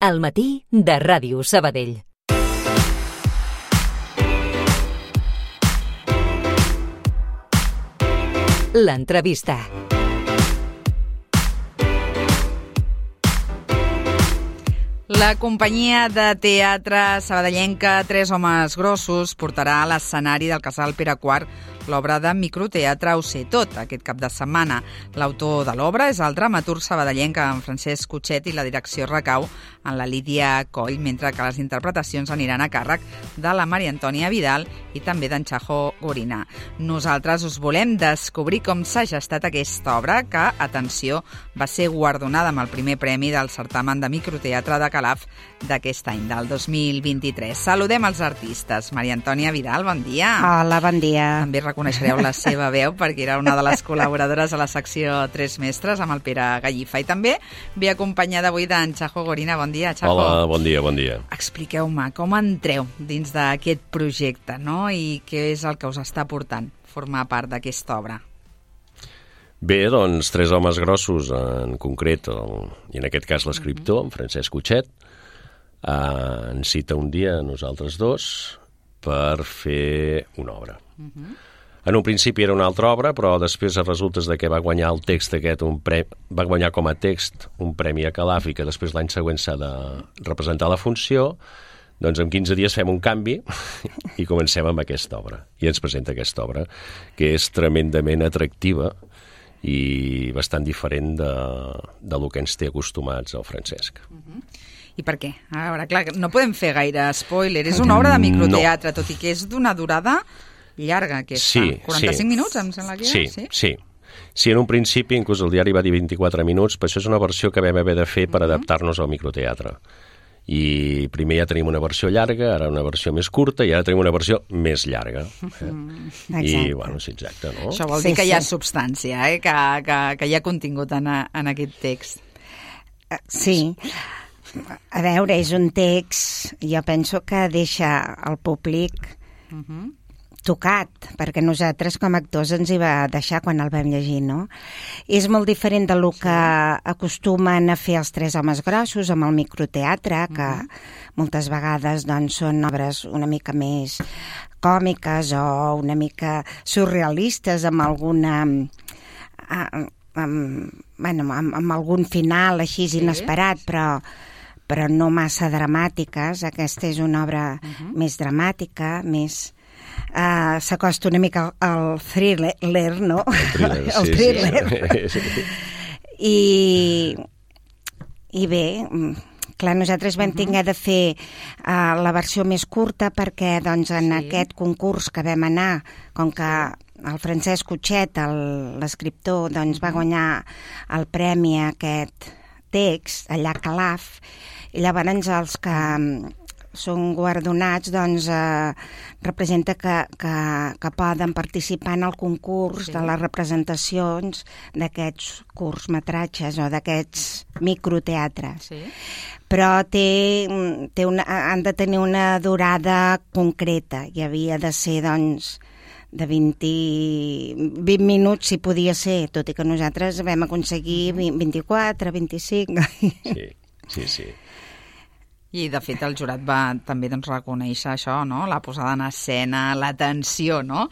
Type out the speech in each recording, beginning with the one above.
Al matí de Ràdio Sabadell. L'entrevista. La companyia de teatre sabadellenca Tres homes grossos portarà a l'escenari del Casal Pere IV l'obra de microteatre Ho sé tot, aquest cap de setmana. L'autor de l'obra és el dramaturg sabadellenc en Francesc Cutxet i la direcció recau en la Lídia Coll, mentre que les interpretacions aniran a càrrec de la Maria Antònia Vidal i també d'en Chajo Gorina. Nosaltres us volem descobrir com s'ha gestat aquesta obra, que, atenció, va ser guardonada amb el primer premi del certamen de microteatre de Calaf d'aquest any, del 2023. Saludem els artistes. Maria Antònia Vidal, bon dia. Hola, bon dia. També reconeixereu la seva veu perquè era una de les col·laboradores a la secció Tres Mestres amb el Pere Gallifa. I també ve acompanyada avui d'en Chajo Gorina. Bon dia, Chajo. Hola, bon dia, bon dia. Expliqueu-me com entreu dins d'aquest projecte, no? I què és el que us està portant formar part d'aquesta obra? Bé, doncs, Tres homes grossos, en concret, i en aquest cas l'escriptor, en Francesc Cutxet, ens cita un dia a nosaltres dos per fer una obra. En un principi era una altra obra, però després resulta que va guanyar el text aquest, va guanyar com a text un premi a Calaf i que després l'any següent s'ha de representar la funció. Doncs en 15 dies fem un canvi i comencem amb aquesta obra. I ens presenta aquesta obra, que és tremendament atractiva i bastant diferent del que ens té acostumats el Francesc. I per què? A veure, clar, no podem fer gaire spoiler. És una obra de microteatre, tot i que és d'una durada llarga, aquesta. Sí, 45 minuts, em sembla que era? Sí, en un principi, inclús el diari va dir 24 minuts, però això és una versió que vam haver de fer per adaptar-nos al microteatre. I primer ja tenim una versió llarga, ara una versió més curta, i ara tenim una versió més llarga. I, bueno, sí, exacte, no? Això vol dir que hi ha substància, que hi ha contingut en aquest text. Sí. A veure, és un text, jo penso que deixa el públic tocat, perquè nosaltres com a actors ens hi va deixar quan el vam llegir, no? És molt diferent del que acostumen a fer els Tres homes grossos amb el microteatre, que moltes vegades doncs, són obres una mica més còmiques o una mica surrealistes amb alguna... amb algun final així inesperat, però no massa dramàtiques. Aquesta és una obra més dramàtica, més... s'acosta una mica al thriller, no? El thriller. I bé, clar, nosaltres vam haver de fer la versió més curta perquè doncs, en aquest concurs que vam anar, com que el Francesc Cutxet, l'escriptor, doncs, va guanyar el premi a aquest text allà a Calaf, i llavors els que són guardonats, doncs, representa que poden participar en el concurs de les representacions d'aquests curtmetratges o d'aquests microteatres. Però han de tenir una durada concreta i havia de ser, doncs, de 20 minuts si podia ser, tot i que nosaltres vam aconseguir 24, 25... Sí. I, de fet, el jurat va també reconèixer això, no? La posada en escena, la tensió, no?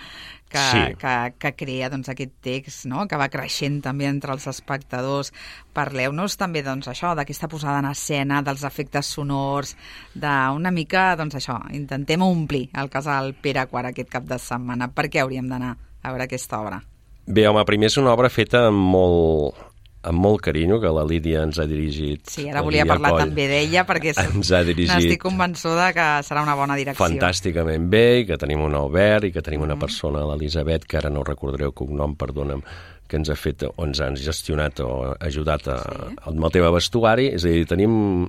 que crea aquest text, no? Que va creixent també entre els espectadors. Parleu-nos també això, d'aquesta posada en escena, dels efectes sonors, d'una mica, això, intentem omplir el Casal Pere IV aquest cap de setmana. Per què hauríem d'anar a veure aquesta obra? Bé, home, primer és una obra feta amb molt carinyo, que la Lídia ens ha dirigit. Sí, ara volia parlar també d'ella, perquè n'estic convençuda que serà una bona direcció. Fantàsticament bé, i que tenim un Albert, i que tenim una persona, l'Elisabet, que ara no recordaré el cognom, perdona'm, que ens ha fet, o ens han gestionat o ajudat amb el tema vestuari. És a dir, tenim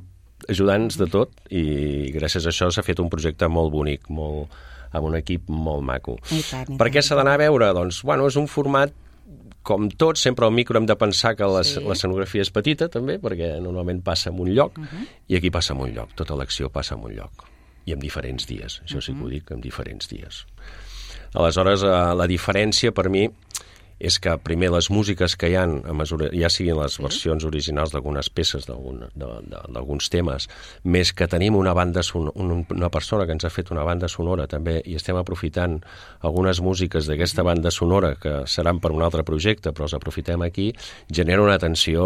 ajudants de tot, i gràcies a això s'ha fet un projecte molt bonic, amb un equip molt maco. Per què s'ha d'anar a veure? Doncs, bueno, és un format com tot, sempre al micro hem de pensar que l'escenografia és petita, també, perquè normalment passa en un lloc, i aquí passa en un lloc, tota l'acció passa en un lloc, i en diferents dies, això sí que ho dic, en diferents dies. Aleshores, la diferència per mi és que primer les músiques que hi ha, ja siguin les versions originals d'algunes peces, d'alguns temes, més que tenim una persona que ens ha fet una banda sonora també, i estem aprofitant algunes músiques d'aquesta banda sonora que seran per un altre projecte, però els aprofitem aquí, genera una tensió...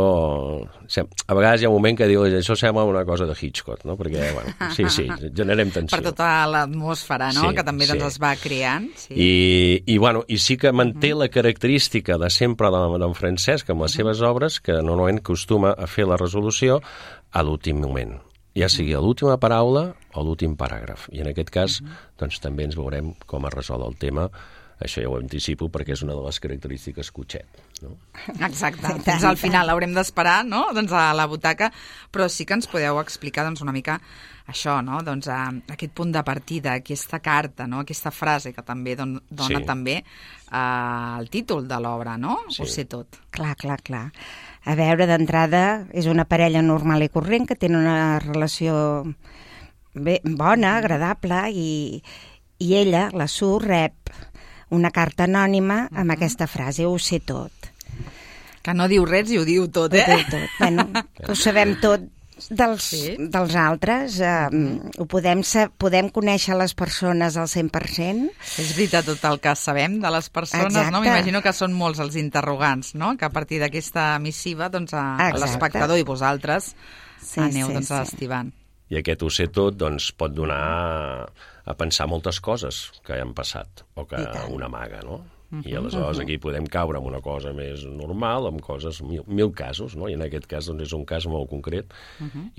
A vegades hi ha un moment que diu això sembla una cosa de Hitchcock, no? Perquè, bueno, sí, generem tensió. Per tota l'atmosfera, no?, que també es va creant. I sí que manté la característica de sempre d'en Francesc amb les seves obres, que normalment acostuma a fer la resolució a l'últim moment, ja sigui a l'última paraula o l'últim paràgraf. I en aquest cas, doncs, també ens veurem com es resol el tema. Això ja ho anticipo perquè és una de les característiques Cotxet, no? Exacte. Fins al final haurem d'esperar, no?, doncs a la butaca, però sí que ens podeu explicar doncs una mica això, no?, doncs aquest punt de partida, aquesta carta, no?, aquesta frase que també dona també el títol de l'obra, no? Sí. Ho sé tot. Clar. A veure, d'entrada, és una parella normal i corrent que tenen una relació bona, agradable, i ella, la Sue, rep una carta anònima amb aquesta frase, ho sé tot. Que no diu res i ho diu tot, eh? Ho diu tot. Bueno, ho sabem tot dels altres, podem conèixer les persones al 100%. És veritat tot el que sabem de les persones, exacte, no? M'imagino que són molts els interrogants, no?, que a partir d'aquesta missiva, doncs, l'espectador i vosaltres aneu estivant. I aquest ho sé tot, doncs, pot donar a pensar moltes coses que han passat, o que una amaga, no? I aleshores aquí podem caure en una cosa més normal, amb coses, mil casos, no? I en aquest cas doncs, és un cas molt concret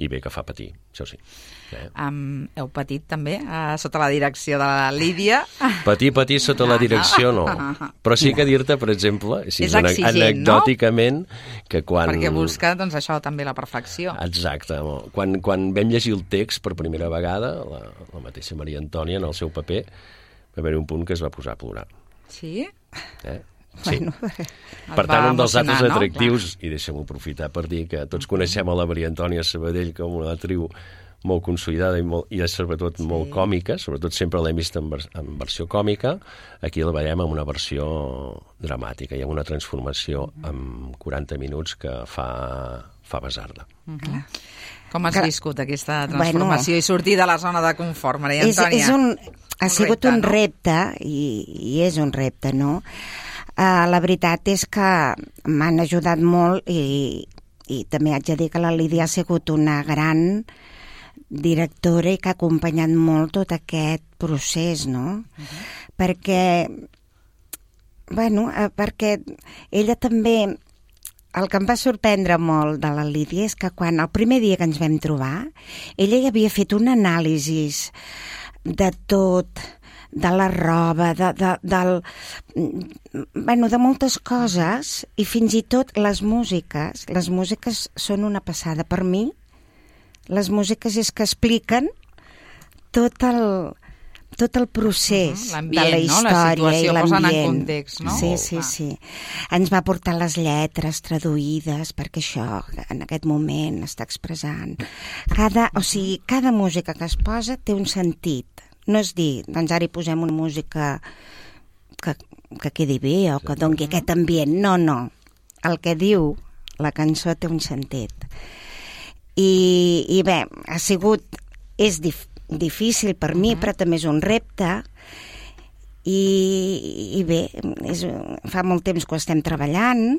i bé que fa patir, això sí. Heu patit també sota la direcció de la Lídia? Patir sota la direcció no, però sí que dir-te, per exemple, és exigent, anecdòticament, que quan... Perquè busca, doncs, això també la perfecció. Exacte. Quan vam llegir el text per primera vegada, la mateixa Maria Antònia, en el seu paper, va haver un punt que es va posar a plorar. Sí? Sí. Per tant, un dels altres atractius, i deixem-ho aprofitar per dir que tots coneixem a la Maria Antònia Sabadell com una actriu molt consolidada i sobretot molt còmica, sobretot sempre l'hem vist en versió còmica, aquí la veiem en una versió dramàtica, hi ha una transformació en 40 minuts que fa besar-la. Com has viscut aquesta transformació i sortir de la zona de confort, Maria Antònia? Ha sigut un repte, i és un repte, no? La veritat és que m'han ajudat molt i també haig de dir que la Lídia ha sigut una gran directora i que ha acompanyat molt tot aquest procés, no? Perquè ella també... El que em va sorprendre molt de la Lídia és que quan el primer dia que ens vam trobar, ella ja havia fet un anàlisi de tot, de la roba, de moltes coses, i fins i tot les músiques. Les músiques són una passada. Per mi, les músiques és que expliquen tot el procés de la història i l'ambient. Posen en context, no? Sí. Ens va portar les lletres traduïdes, perquè això en aquest moment està expressant. Cada música que es posa té un sentit. No és dir, doncs ara hi posem una música que quedi bé o que doni aquest ambient. No. El que diu la cançó té un sentit. I bé, és difícil per mi, però també és un repte, i bé, fa molt temps que ho estem treballant.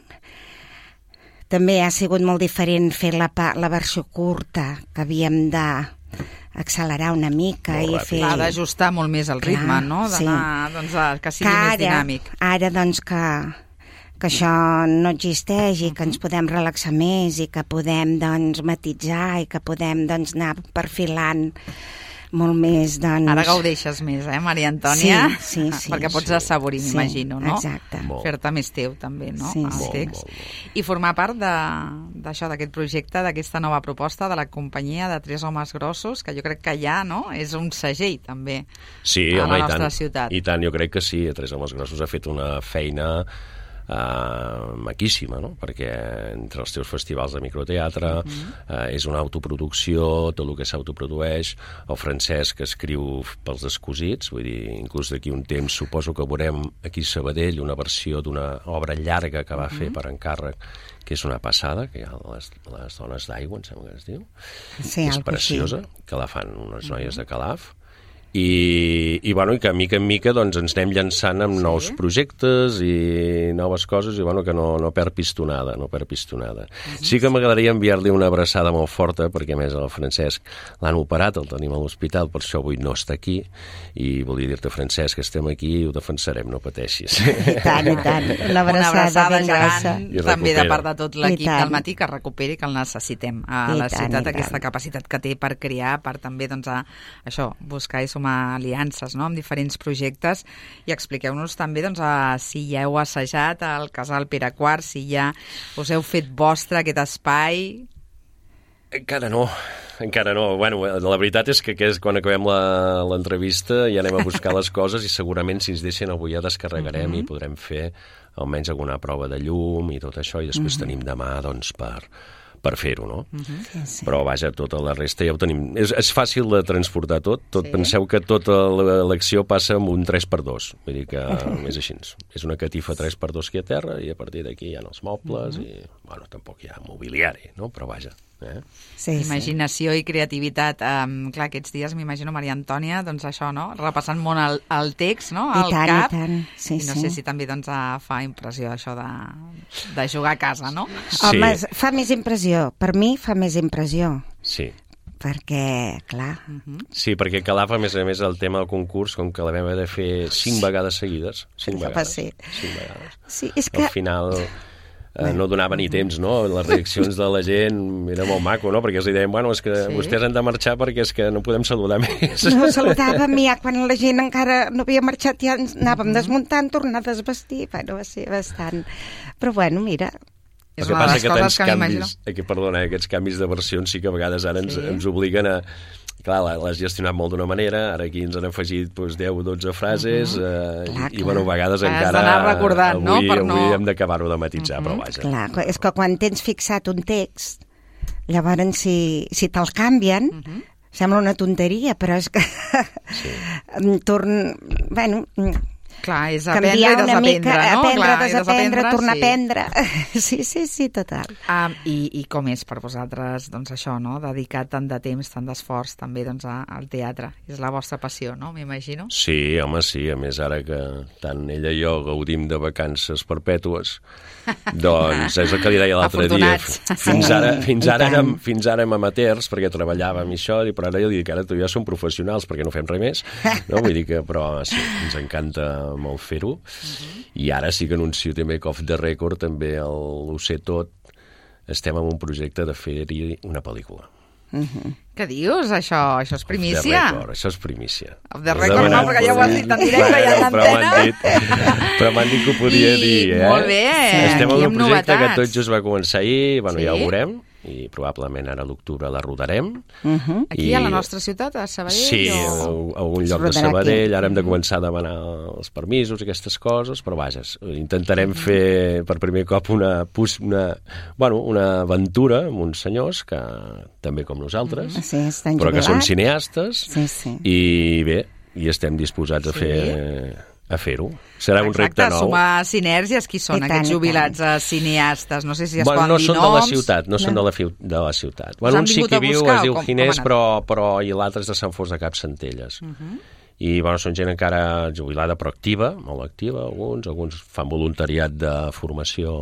També ha sigut molt diferent fer la versió curta, que havíem d'accelerar una mica i fer... Ha d'ajustar molt més el ritme, no? D'anar, doncs, que sigui més dinàmic. Ara, doncs, que això no existeix i que ens podem relaxar més i que podem, doncs, matitzar i que podem, doncs, anar perfilant molt més, doncs... Ara gaudeixes més, Maria Antònia? Sí. Perquè pots assaborir, m'imagino, no? Exacte. Fer-te més teu, també, no? Sí. El text. I formar part d'això, d'aquest projecte, d'aquesta nova proposta de la companyia de Tres Homes Grossos, que jo crec que ja, no?, és un segell, també, a la nostra ciutat. I tant, jo crec que sí. Tres Homes Grossos ha fet una feina maquíssima, no? Perquè entre els teus festivals de microteatre és una autoproducció, tot el que s'autoprodueix, el Francesc escriu pels descosits, vull dir, inclús d'aquí un temps suposo que veurem aquí a Sabadell una versió d'una obra llarga que va fer per encàrrec, que és una passada, que hi ha les dones d'aigua, em sembla que es diu, sí, és preciosa, que la fan unes noies de Calaf, i bueno, i que mica en mica doncs, ens anem llançant amb nous projectes i noves coses, i bueno, que no perd pistonada, Sí que m'agradaria enviar-li una abraçada molt forta, perquè a més el Francesc l'han operat, el tenim a l'hospital, per això avui no està aquí, i volia dir-te, Francesc, que estem aquí i ho defensarem, no pateixis. I tant, una abraçada ben grossa. També de part de tot l'equip del matí, que recuperi, que el necessitem a la ciutat, aquesta capacitat que té per crear, per també, doncs, això, buscar i sumar aliances, no?, amb diferents projectes, i expliqueu-nos també, doncs, si ja heu assajat al Casal Pere IV, si ja us heu fet vostre aquest espai. Encara no. Bueno, la veritat és que quan acabem l'entrevista ja anem a buscar les coses i segurament si ens deixen avui ja descarregarem i podrem fer almenys alguna prova de llum i tot això, i després tenim demà, doncs, per fer-ho, no? Sí. Però, vaja, tota la resta ja ho tenim. És fàcil de transportar tot. Penseu que tota l'acció passa amb un 3x2. Vull dir que és així. És una catifa 3x2 aquí a terra i a partir d'aquí hi ha els mobles i, bueno, tampoc hi ha mobiliari, no? Però, vaja. Sí. Imaginació i creativitat. Clar, aquests dies m'imagino Maria Antònia, doncs això, no?, repassant molt el text, no?, al cap. I tant. Sí, i no sé si també, doncs, fa impressió això de jugar a casa, no? Sí. Home, fa més impressió. Per mi fa més impressió. Sí. Perquè, clar... Sí, perquè Calaf, a més, el tema del concurs, com que la vam haver de fer 5 vegades seguides. 5 vegades. Sí, és que... Al final... no donava ni temps, no? Les reaccions de la gent era molt maco, no? Perquè els deien, bueno, és que vostès han de marxar perquè és que no podem saludar més. No saludàvem ja quan la gent encara no havia marxat, ja ens anàvem desmuntant, tornar a desvestir, bueno, va ser bastant... Però bueno, mira... És una de les coses que m'imagino. Perdona, aquests canvis de versions sí que a vegades ara ens obliguen a... Clar, l'has gestionat molt d'una manera, ara aquí ens han afegit 10 o 12 frases i bueno, a vegades encara recordant, avui hem d'acabar-ho de matitzar, però vaja. Clar, és que quan tens fixat un text, llavors si te'l canvien, sembla una tonteria, però és que bueno... Clar, és aprendre i desaprendre, no? Aprendre, desaprendre, tornar a aprendre. Sí, total. I com és per vosaltres, doncs això, no?, dedicar tant de temps, tant d'esforç també, doncs, al teatre. És la vostra passió, no?, m'imagino? Sí, home, sí. A més, ara que tant ella i jo gaudim de vacances perpètues, doncs és el que li deia l'altre dia. Fins ara érem amateurs, perquè treballàvem i això, però ara jo dic que ara tu i jo som professionals, perquè no fem res més, no? Vull dir que, però sí, ens encanta molt fer-ho, i ara sí que anuncio també que off the record també ho sé tot, estem en un projecte de fer-hi una pel·lícula. Què dius? Això és primícia? Això és primícia. Off the record no, perquè ja ho has dit en directe i en antena. Però m'han dit que ho podia dir, Molt bé, estem en un projecte novetats. que tot just va començar ahir, bueno, ja ho veurem, i probablement ara a l'octubre la rodarem. Aquí a la nostra ciutat, a Sabadell? Sí, a algun lloc de Sabadell. Ara hem de començar a demanar els permisos i aquestes coses, però vaja, intentarem fer per primer cop una aventura amb uns senyors que també com nosaltres, però que són cineastes, i bé, i estem disposats a fer-ho. Serà un repte nou. Sumar sinergies. Qui són aquests jubilats cineastes? No sé si es poden dir noms. No són de la ciutat, no són de la ciutat. Un sí que viu, es diu Ginés, però i l'altre és de Sant Fost de Campsentelles. I són gent encara jubilada però activa, molt activa, alguns fan voluntariat de formació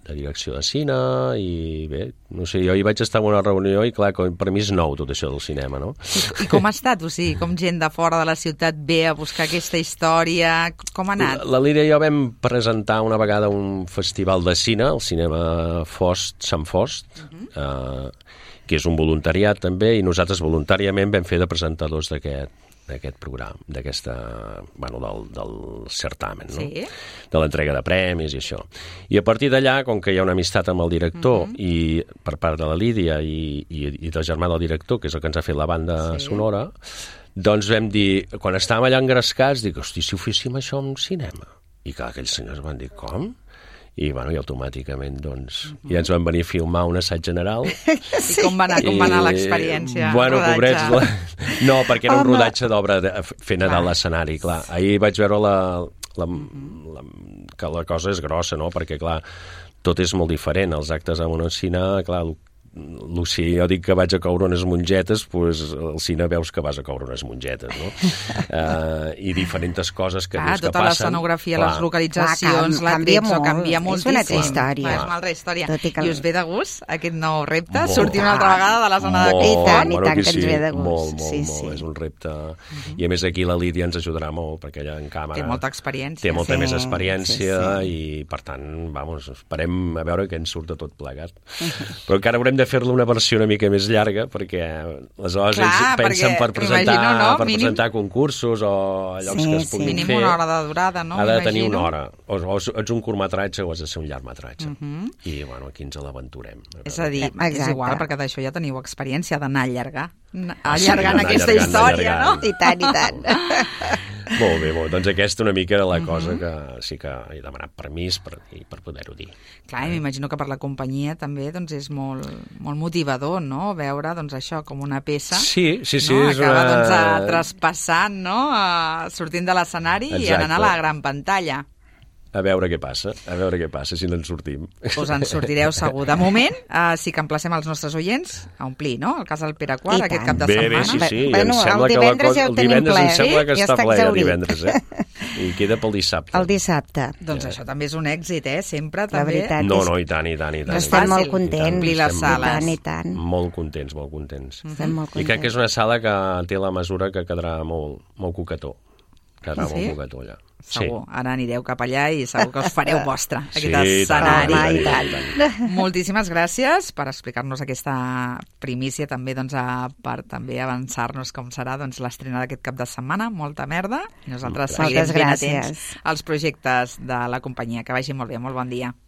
de direcció de cine, i bé, no sé, jo hi vaig estar en una reunió i clar, per mi és nou tot això del cinema, no? I com ha estat? O sigui, com gent de fora de la ciutat ve a buscar aquesta història? Com ha anat? La Lídia i jo vam presentar una vegada un festival de cine, el Cinema Sant Fost, que és un voluntariat també, i nosaltres voluntàriament vam fer de presentadors d'aquest programa, del certamen, no? De l'entrega de premis i això. I a partir d'allà, com que hi ha una amistat amb el director, i per part de la Lídia i del germà del director, que és el que ens ha fet la banda sonora, doncs vam dir, quan estàvem allà engrescats, dic, hosti, si ho féssim això en cinema. I clar, aquells senyors van dir, com? i automàticament doncs, ja ens van venir a filmar un assaig general. I com va anar l'experiència? Bueno, pobrets, no, perquè era un rodatge d'obra fent a dalt l'escenari, clar. Ahir vaig veure que la cosa és grossa, no? Perquè, clar, tot és molt diferent. Els actes en un cine, clar, si jo dic que vaig a coure unes mongetes, doncs al cine veus que vas a coure unes mongetes, no? I diferents coses que dius que passen. Tota l'escenografia, les localitzacions, la tretzo, canvia moltíssim. És una altra història. És una altra història. I us ve de gust aquest nou repte? Sortir una altra vegada de la zona de confort? I tant que ens ve de gust. Molt. És un repte. I a més aquí la Lídia ens ajudarà molt, perquè ella en càmera... Té molta experiència. Té molta més experiència i, per tant, esperem a veure què ens surt de tot plegat. Però encara haurem de fer-la una versió una mica més llarga, perquè aleshores ells pensen per presentar concursos o llocs que es puguin fer. Mínim una hora de durada, no? Ha de tenir una hora. O ets un curtmetratge o has de ser un llargmetratge. I, aquí ens l'aventurem. És a dir, és igual, perquè d'això ja teniu experiència d'anar allargant aquesta història, no? I tant, i tant. Molt bé, doncs aquesta una mica era la cosa que sí que he demanat permís per poder-ho dir. Clar, i m'imagino que per la companyia també doncs, és molt motivador, no?, veure doncs, això com una peça acaba traspassant, no?, sortint de l'escenari i anant a la gran pantalla. A veure què passa, si no en sortim. Us en sortireu segur. De moment, sí que emplacem els nostres oients a omplir, no?, el Casal Pere IV aquest cap de setmana. Sí, em sembla que el divendres em sembla que està ple el divendres, i queda pel dissabte. El dissabte. Doncs això també és un èxit, sempre. La veritat és... No, i tant. Estem molt contents. Omplir les sales. I tant. Molt contents. Estem molt contents. I crec que és una sala que té la mesura que quedarà molt coquetó. Quedarà molt coquetó allà. Segur, ara anireu cap allà i segur que us fareu vostre aquest escenari. Moltíssimes gràcies per explicar-nos aquesta primícia també, doncs, per també avançar-nos com serà l'estrena d'aquest cap de setmana. Molta merda. I nosaltres seguirem ben atents als projectes de la companyia. Que vagi molt bé, molt bon dia.